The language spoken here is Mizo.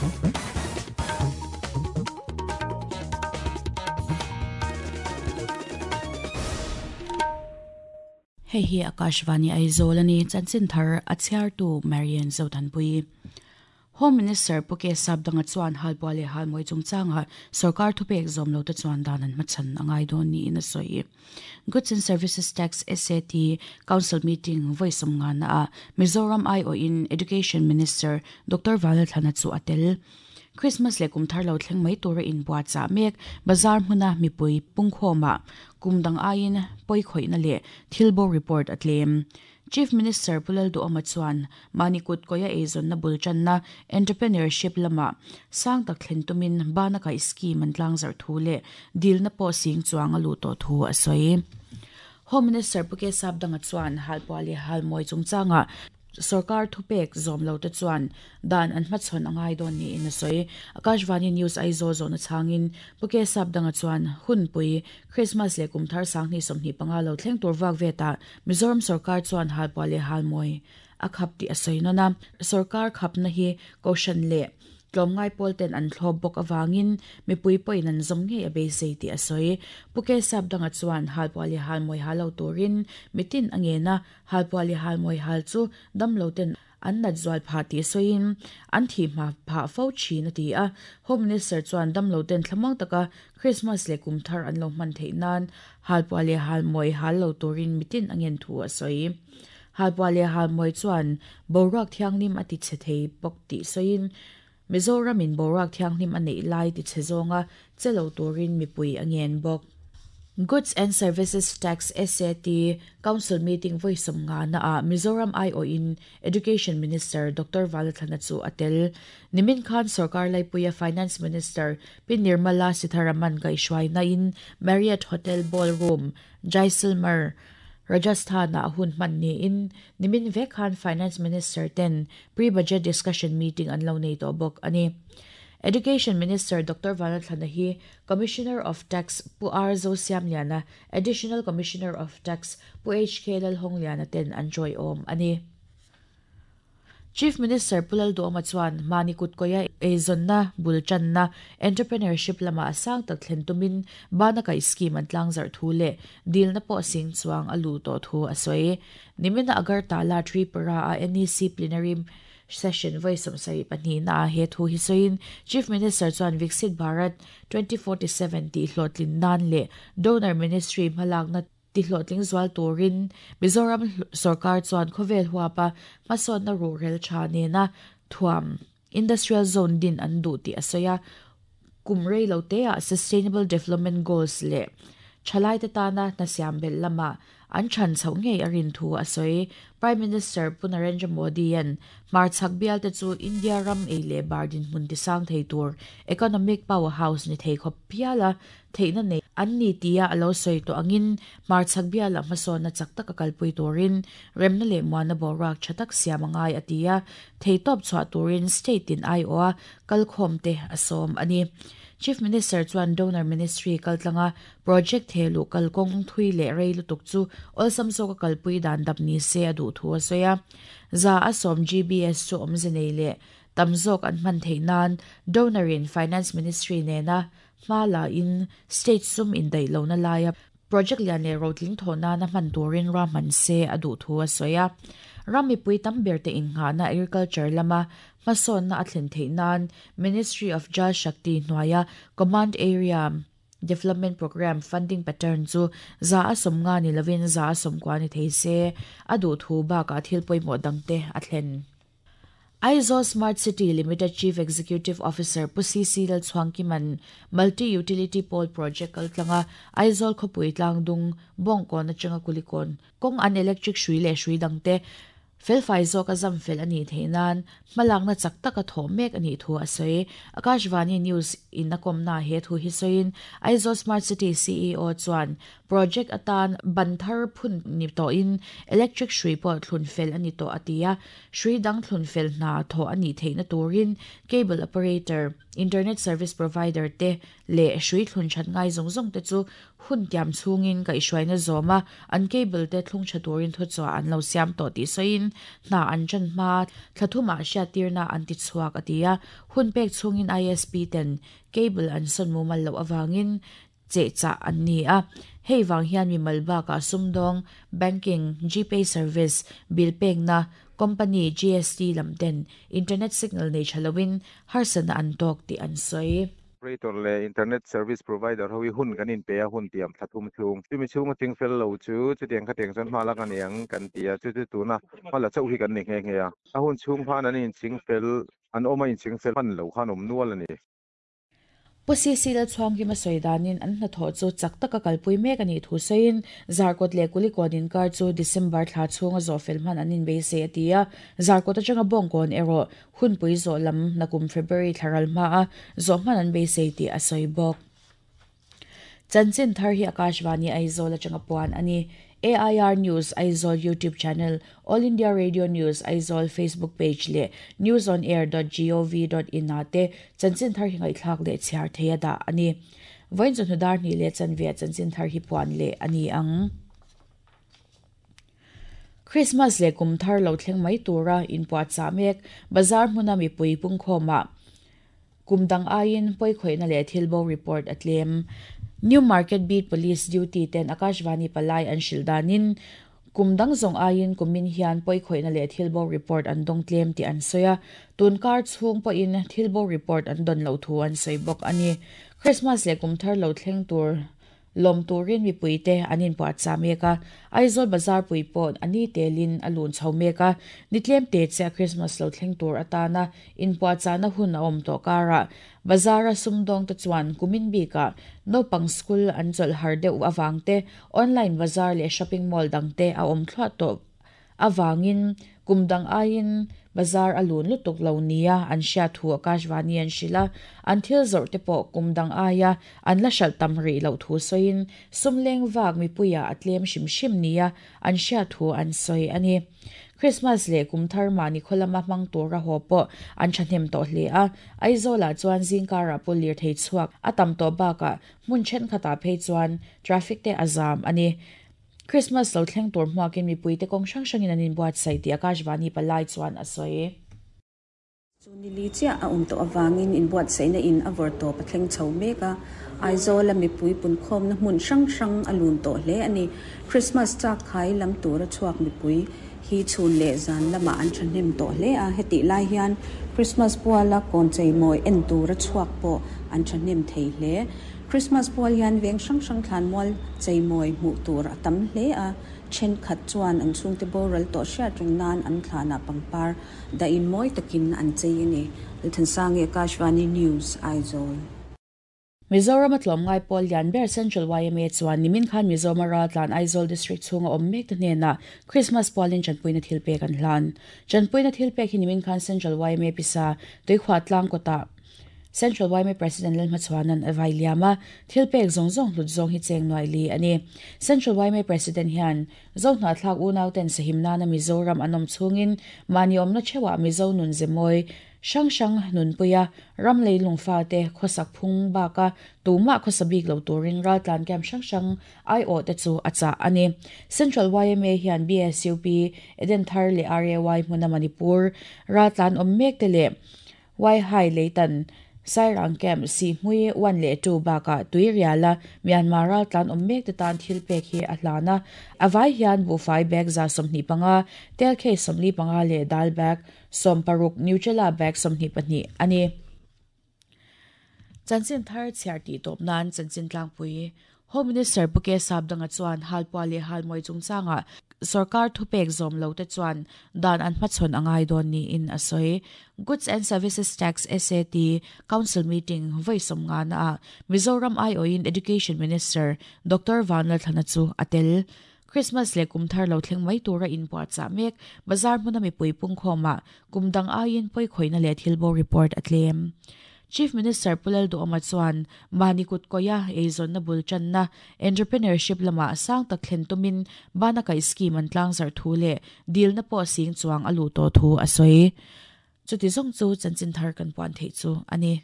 Hei hi Akashvani Aizawl a ni, chanchin thar a chhiartu Marian Zothanpui. Home Minister Pu K Sapdanga chuan Halpuah leh Halmawi chungchangah sorkar thupek zawm lo te chuan dan an hmachhan a ngai dawn niin a sawi. Goods and Services Tax, SAT, Council meeting vawi sawmngana ah Mizoram aiawhin Education Minister Doctor Vanlalthlana chu a tel. Christmas leh kum thar lo thleng mai tura inbuatchah mek bazar hmuna mipui pungkhawmah kum dang aiin pawikhawihna leh thil bo report a tlem. Chief Minister Pu Lalduhawma chuan mahni kut kawia eizawnna bul tanna, entrepreneurship, lamah sang tak thlen tumin bana kaih scheme an tlangzarh thu leh dilna pawh sing chuang a luh tawh thu a sawi. Home Minister Pu K Sapdanga chuan halpuah leh halmawi chungchangah Sorkar thupek zawm lo te chuan dan an hmachhawn a ngai dawn niin a sawi. Akashvani News Aizawl zawhna chhangin Pu K Sapdanga chuan hunpui Christmas leh kum thar 2025 lo thleng tur vak vetah Mizoram sorkar chuan halpuah leh halmawi a khap tih a sawi nawn a. Sorkar khapna hi Kohhran leh Tlawmngai pawl ten an thlawp bawk avangin mipui pawhin an zawm ngei a beisei tih a sawi. Pu K Sapdanga chuan halpuah leh halmawi hal lo turin mitin a ngen a, Halpuah leh halmawi hal chu damlo ten an nat zual phah tih sawiin an thih hma phah fo thin a ti a. Home Minister chuan damlo ten thlamuang taka Christmas leh kum thar an lo hman theih nan halpuah leh halmawi hal lo turin mitin a ngen thu a sawi. Halpuah leh halmawi chuan boruak thianghlim a ti chhe thei bawk tih sawiin Mizoramin boruak thianghlim a neih lai ti chhe zawnga che lo turin mipui a ngen bawk. Goods and Services Tax, SAT, Council meeting vawi sawmngana ah Mizoram aiawhin Education Minister Doctor Valathlana chu a tel. Nimin khan sorkar laipuia Finance Minister Pi Nirmala Sitharaman kaihhruainain Marriott Hotel Ballroom, Jaisalmer, Rajasthan-ah hun hman niin nimin vek khan Finance Minister ten Pre-Budget Discussion Meeting an lo nei tawh bawk a ni. Education Minister Doctor Vanlalthlana hi Commissioner of Tax Pu R Zosiamliana, Additional Commissioner of Tax Pu HK Lalhawngliana ten an tawiawm a ni. Chief Minister Pu Lalduhawma chuan mahni kutkawia eizawnna bul tanna, entrepreneurship, lamah a sang tak thlen tumin bana kaih scheme an tlangzarh thu leh dilna pawh sing chuang a luh tawh thu a sawi. Nimina Agartala Tripura-a NEC Plenary Session vawi 72 naah he thu hi sawiin Chief Minister chuan Viksit Bharat 2047 tih hlawhtlin nan leh Donor Ministry hmalakna tihlawhtling zual turin Mizoram sorkar chuan khawvel huapa hmasawnna ruhrel tha nena thuam Industrial Zone din an duh tih a sawi a, kum rei lo teah Sustainable Development Goals leh thalaite tana hna siam belh lamah an chhan chhoh ngei a rin thu a sawi. Prime Minister Pu Narendra Modi-a'n hmarchhak bialte chu India ram ei leh bar dinhmun tisang thei tur economic powerhouse ni thei khawp phiala theihna nei an ni tia a lo sawi tawh angin hmarchhak biala hmasawnna chak taka kalpui turin remna leh muanna boruak tha tak siam a ngai a ti a, theitawp chhuah turin state tin aiawha kalkhawmte a sawm a ni. Chief Minister chuan Donor Ministry kaltlanga project thehluh kalkawng thui leh rei lutuk chu awlsam zawka kalpui dan dap ni se a duh thu a sawi a. 100 GBS chu awmze nei leh tam zawk an hman theih nan Donor in Finance Ministry nena Hma la in state sum indaih lohna laia project lian leh rotling thawh nana hman turin ruahman se a duh thu a sawi a. Ram mipui tam ber te innghahna agriculture lama hmasawnna a thlen theih nan Ministry of Jal Shakti hnuaia Command Area Development Programme funding pattern chu 150 ni lovin 90 ni thei se a duh thu bakah thil pawimawh dangte a thlen. Aizawl Smart City Limited Chief Executive Officer Pu CC Lalchhuangkima'n Multi Utility Pole Project kaltlanga Aizawl khawpui tlangdung Bawngkawn atanga Kulikawn kawng an electric hrui leh hrui dangte felfai zawka zam fel a nih theih nan hmalakna chak taka thawh mek a nih thu a sawi. Akashvani News in a kawmnaah he thu hi sawiin Aizawl Smart City CEO chuan Project atan ban thar phun ni tawhin electric hrui pawh thlun fel a ni tawh a ti a, hrui dang thlun fel hna thawh a nih theihna turin cable operator, internet service provider te leh hrui thlun that ngai zawng zawng te chu hun tiam chhungin kaihhruaina zawm a, an cable te thlung tha turin thuchhuah an lo siam tawh tih sawiin. hna an ṭan hma thla thumah hriattirna an ti chhuak a ti a, hun pek chhungin ISP ten cable an sawn mumal loh avangin chehchah an ni a, hei vang hian mimal bakah sumdawng, banking, Gpay service, bill pekna, company, GST lam ten internet signal nei tha loin harsatna an tawk tih an sawi. Operator leh internet service provider ho hi hun kan inpe a, hun tiam thla thum chhung. Chumi chhunga ching fel lo chu chutiang khatiang chuan hma lak a ni ang kan ti a, chu chu tuna hma la chauh hi kan ni nghe nghe a. A hun chhung khan an inching fel, an awm a inching fel hman lo khan awm nual a ni. Pu CC Lalchhuangkima sawi danin an hnathawh chu chak taka kalpui mek a nih thu sawiin Zarkawt leh Kulikawn inkar chu December thla chhunga zawh fel hman an inbeisei a ti a, Zarkawt atanga Bawngkawn erawh Hunpui zawh lam nakum February thla ral hmaa zawh hman an beisei tih a sawi bawk. Chanchin thar hi Akashvani Aizawl atanga puan a ni. AIR News Aizawl YouTube channel, All India Radio News Aizawl Facebook page leh newsonair dot gov dot in ah te chanchin thar hi ngaihthlak leh chhiar thei a dah a ni. Vawiin chawhnu dar hnih leh chanve chanchin thar hi puan leh a ni ang. Krismas leh kum thar lo thleng mai tura inpuahchah mek bazar hmuna mipui pungkhawmah kum dang aiin pawikhawihna leh thil bo report a tlem. New Market Beat Police duty ten Akashvani palai an hrilh danin kum dang zawng aiin kumin hian pawikhawihna leh thil bo report an dawng tlem tih an sawi a, tun kar chhung pawhin thil bo report an dawn loh thu an sawi bawk a ni. Krismas leh kum thar lo thleng tur Lawm turin mipuite an inpuahchah mek a, Aizawl bazar pui pawh a ni telin a lun chho mek a, ni tlem te chiah Christmas lo thleng tur atana inpuahchahna hun a awm tawh karah bazara sumdawngte chuan kumin bikah naupang school an chawlh har deuh avangte online bazar leh shopping mall dangte a awm thluah tawh avangin kum dang aiin bazar a lun lutuk lo nia an hriat thu Akashvani an hrilh a, an thil zawrh te pawh kum dang aia an la hralh tam rih loh thu sawiin sum leng vak mipuiah a tlem hrim hrim nia an hriat thu an sawi a ni. Christmas leh kum thar mahni khaw lama hmang tura haw pawh an thahnem tawh hle a, Aizawlah chuan zingkarah pawh lirthei chhuak a tam tawh bakah hmun thenkhatah phei chuan traffic te a zam a ni. Christmas lo thleng tur hmuakin mipuite kawng hrang hrangin an inbuatsaih tih Akashvani palai chuan a sawi. Chu nili chiah a awm tawh avangin inbuatsaihna in a vawr tawp a thleng chho mek a, Aizawla mipui punkhawmna hmun hrang hrang a lun tawh hle a ni. Christmas chak khai lam tura chhuak mipui hi chhun leh zan lamah an thahnem tawh hle a, hetih lai hian Christmas puala kawn cheimawi en tura chhuak pawh an thahnem thei hle. Christmas pual hian veng hrang hrang thlanmual cheimawi hmuh tur a tam hle a, thenkhat chuan an chhungte boral tawh hriat reng nan an thlanah pangpar dahin mawi takin an chei a ni. Lalthansangi, Akashvani News, Aizawl. Mizoram a tlawmngai pawl lian ber Central yma chuan nimin khan Mizorama raltlan Aizawl District chhunga awm mek te hnenah Christmas pualin tanpuina thil pek an hlan. Tanpuina thil pek hi nimin khan Central yma pisa Tuikhuah tlang kawtah Central yma President Lalhmachhuana'n a vai liam a, thil pek zawng zawng hlut zawng hi cheng nuai li a ni. Central yma President hian Zohnahthlak unauten sahim nana Mizoram an awm chhungin mahni awmna theuhah Mizo nun ze mawi hrang hrang nunpuia ram leilung fate khawsak phung baka tumah khawsa bik lo turin raltlan camp hrang hrang aiawh te chu a chah a ni. Central yma hian BSUP, Edenthar leh RAY hmuna Manipur raltlan awm mek te leh Waihai Leitan, Sairang Camp, Sihmui one leh two bakah Tuiriala, Myanmar raltlan awm mek te tan thil pek hi a hlan a. A vai hian buhfai bag 25, tel case 45 leh dal bag 60, Nutella bag 22 a ni. Chanchin thar chhiar tih tawp nan chanchin tlangpui Home Minister Pu K Sapdanga chuan Halpuah leh Halmawi chungchangah sorkar thupek zawm lo te chuan dan an hmachhawn a ngai dawn niin a sawi. Goods and Services Tax, SAT, Council meeting vawi sawmngana ah Mizoram aiawhin Education Minister Doctor Vanlalthlana chu a tel. Christmas leh kum thar lo thleng mai tura inpuahchah mek bazar hmuna mipui pungkhawmah kum dang aiin pawikhawihna leh thilbo report a tlem. Chief Minister Pu Lalduhawma chuan mahni kut kawia eizawnna bul tanna, entrepreneurship lamah sang tak thlen tumin bana kaih scheme an tlangzarh thu leh dilna pawh sing chuang a luh tawh thu a sawi. Chuti zawng chu chanchin thar kan puan theih chu a ni.